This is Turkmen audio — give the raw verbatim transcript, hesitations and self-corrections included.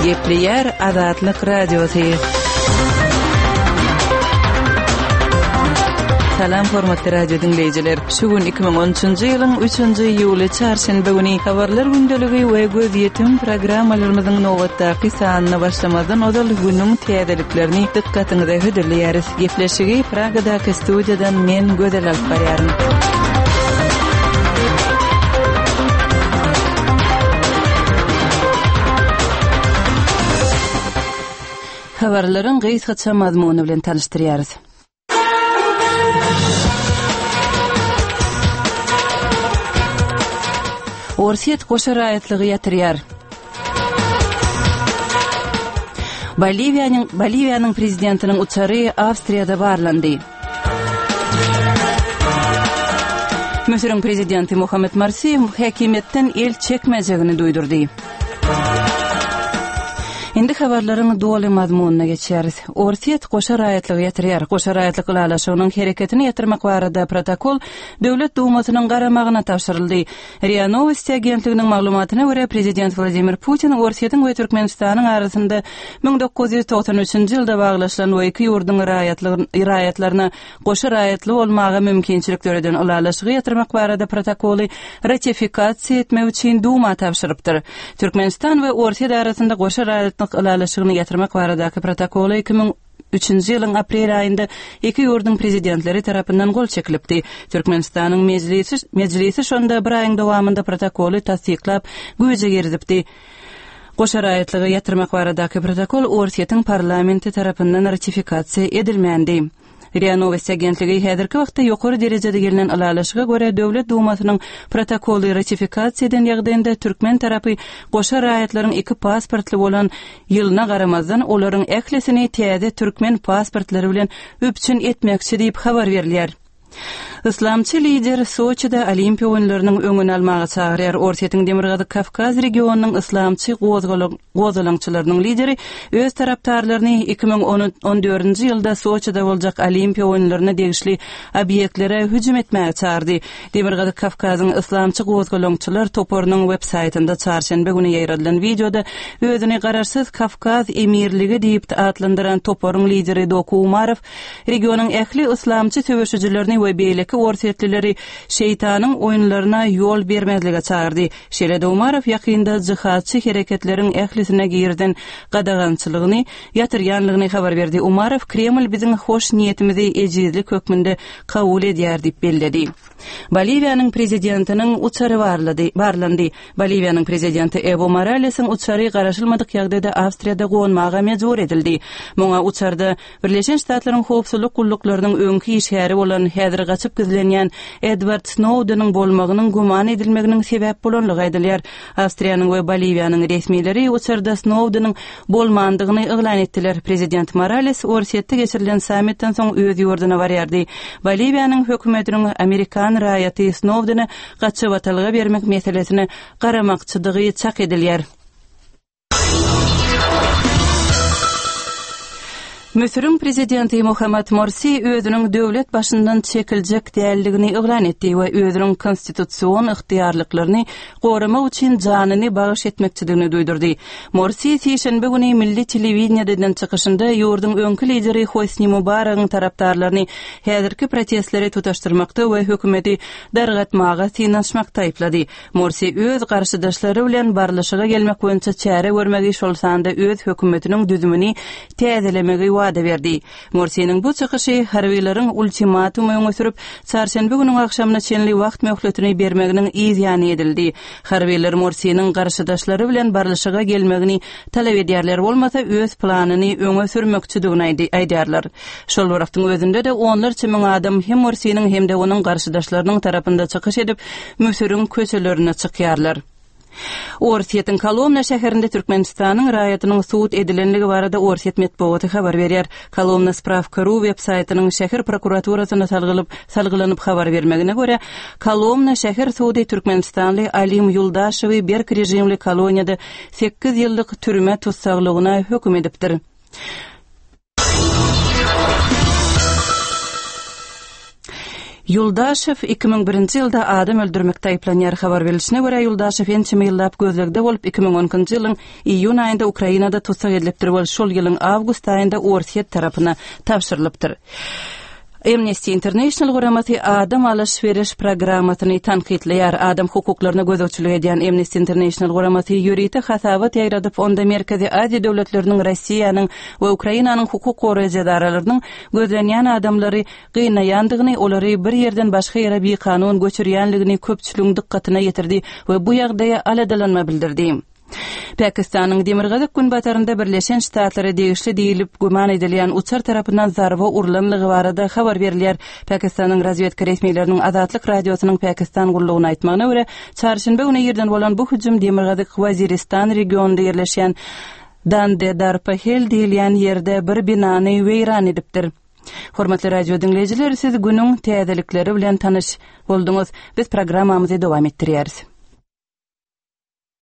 Gepleýär Azatlyk Radiosy. Salam hormatly radio diňleýjiler. Şu gün iki müň on üçünji ýylyň üçünji iýuly çarşenbe güni habarlar gündeligi we gözýetim programmalarymyzyň nobatdaky sanyna başlamazdan ozal günüň täzeliklerini dykgatyňyza hödürleýäris. Gepleşigi Pragadaky studiýadan men Gözel alyp barýaryn. Habarlaryň gysgaça mazmuny bilen tanyşdyrýarys. Orsýet goşa raýatlygy ýatyrýar. Boliwiýanyň Boliwiýanyň prezidentiniň uçary Awstriýada barlandy. Müsüriň prezidenti Muhammed Morsi häkimiýetden el çekmejegini duýdurdy. Indi habarlaryň doly mazmunyna geçýäris. Orsýet goşa raýatlygy ýatyrýar. Goşa raýatlyk ylalaşygynyň hereketini ýatyrmak barada protokol Döwlet Dumasynyň garamagyna tabşyryldy. RIA Nowosti agentliginiň maglumatyna görä, prezident Wladimir Putin Orsýetiň we Türkmenistanyň arasynda müň dokuz ýüz togsan üçünji ýylda baglaşylan we iki ýurduň raýatlaryna goşa raýatly bolmaga mümkinçilik döreden ylalaşygy ýatyrmak barada protokoly ratifikasiýa etmek üçin Duma tabşyrypdyr. Türkmenistan we Orsýet arasynda goşa raýatlyk ylalaşygyny ýatyrmak baradaky protokoly iki müň üçünji ýylyň aprel aýynda iki ýurduň prezidentleri tarapyndan gol çekilipdi. Türkmenistanyň mejlisi, mejlisi şonda bir aýyň dowamynda protokoly tassyklap güýje girizipdi. Goşa raýatlygy ýatyrmak baradaky protokol Orsýetiň parlamenti tarapyndan ratifikasiýa edilmändi. RIA Nowosti agentligi häzirki wagtda ýokary derejede gelnen ylalaşyga görä Döwlet Dumasynyň protokoly ratifikasiýa eden ýagdaýynda türkmen tarapy goşa raýatlaryň iki pasportly bolan ýylyna garamazdan olaryň ählisini täze türkmen pasportlary bilen üpjün etmekçi diýip habar berilýär. Yslamçy lider Soçide Olimpiýa oýunlarynyň öňüni almaga çagyrýar. Orsýetiň Demirgazyk Kawkaz regionynyň yslamçy gozgalaňçylarynyň lideri öz tarapdarlaryny iki müň on dördünji ýylda Soçide boljak Olimpiýa oýunlaryna degişli obýektlere hüjüm etmäge çagyrdy. Demirgazyk Kawkazyň yslamçy gozgalaňçylar toparynyň web-saýtynda çarşenbe güni ýaýradylan wideoda özüni garaşsyz Kawkaz emirligi diýip atlandyran toparyň lideri Doku Umarow regionyň ähli yslamçy söweşijilerini we beýleki orsýetlileri şeýtanyň oýunlaryna ýol bermezlige çagyrdy. Şeýle-de Umarow ýakynda jihadçy hereketleriň ählisine girden gadagançylygyny ýatyrýanlygyny habar berdi. Umarow Kreml biziň hoş niýetimizi ejizlik hökmünde kabul edýär diýip belledi. Boliwiýanyň prezidentiniň uçary barlady, barlandy. Boliwiýanyň prezidenti Ewo Moralesiň uçary garaşylmadyk ýagdaýda Awstriýada gonmaga mejbur edildi. Muňa uçarda Birleşen Ştatlaryň howpsuzlyk gulluklarynyň öňki işgäri bolan häzir gaçyp gizlenýän Edward Snowdeniň bolmagynyň güman edilmeginiň sebäp bolanlygy aýdylýar. Awstriýanyň we Boliwiýanyň resmileri uçarda Snowdeniň bolmandygyny yglan etdiler. Prezident Morales Orsýetde geçirilen sammitden soň öz ýurduna barýardy. Boliwiýanyň hökümetiniň Amerikan raýaty Snowdene gaçybatalga bermek meselesine garamakçydygy çak edilýär. Müsüriň prezidenti Muhammed Morsi özüniň döwlet başyndan çekiljek dälligini yglan etdi we özüniň konstitusion ygtyýarlyklaryny goramak üçin janyny bagyş etmekçidigini duýdurdy. Morsi sişenbe güni milli telewideniýede eden çykyşynda ýurduň öňki lideri Hosni Mubaragyň tarapdarlaryny häzirki protestleri tutaşdyrmakda we hökümeti dargatmaga synanyşmakda aýyplady. Morsi öz garşydaşlary bilen barlyşyga gelmek boýunça çäre görmegi, şol sanda öz hökümetiniň düzümini täzelemegi wada berdi. Morsiniň bu çykyşy harbiýlaryň ultimatumy öňe sürüp, çarşenbe günüň agşamyna çenli wagt möhletini bermeginiň yz ýany edildi. Harbiýlar Morsiniň garşydaşlary bilen barlyşyga gelmegini talap edýärler, bolmasa öz planyny öňe sürmekçidigini aýdýarlar. Şol bir wagtyň özünde-de onlarça müň adam hem Morsiniň hem-de onuň garşydaşlarynyň tarapynda çykyş edip, Müsüriň köçelerine çykýarlar. Orsýetiň Kolomna şäherinde Türkmenistanyň raýatynyň sud edilenligi barada Orsýet metbugaty habar berýär. Kolomna Spravka ru web-saýtynyň şäher prokuraturasyna salgylyp, salgylanyp habar bermegine görä, Kolomna şäher sudy Türkmenistanly Alim Ýuldaşewi berk režimli koloniýada sekiz ýyllyk türme tussaglygyna höküm edipdir. Ýuldaşew iki müň birinji ýylda adam öldürmekde aýyplanýar. Habar berlişine görä, Ýuldaşew ençeme ýyllap gözlegde bolup, iki müň on ikinji ýylyň iýun aýynda Ukrainada tussag edilipdir we şol ýylyň awgust aýynda Orsýet tarapyna tabşyrylypdyr. Amnesty International guramasy adam alyş-beriş programmasyny tankytlaýar. Adam hukuklaryna gözegçilik edýän Amnesty International guramasy ýörite hasabat ýaýradyp, onda Merkezi Aziýa döwletleriniň, Russiýanyň we Ukrainanyň hukuk goraýjy edaralarynyň gözlenýän adamlary gynaýandygyny, olary bir ýerden başga ýere bikanun göçürýänligini köpçüligiň dykgatyna ýetirdi we bu ýagdaýa aladalanma bildirdi. Pakistanyň demirgazyk-günbatarynda Birleşen Ştatlara degişli diýlip güman edilýän uçar tarapyndan zarba urlanlygy barada habar berilýär. Pakistanyň razwedka resmileriniň Azatlyk Radiosynyň Pakistan gullugyna aýtmagyna görä, çarşenbe güni irden bolan bu hüjüm Demirgazyk Waziristan regionynda ýerleşýän Dandedarpahel diýilýän ýerde bir binany weýran edipdir. Hormatly radio diňleýjiler, siz günüň täzelikleri bilen tanyş bolduňyz. Biz programmamyzy dowam etdirýäris.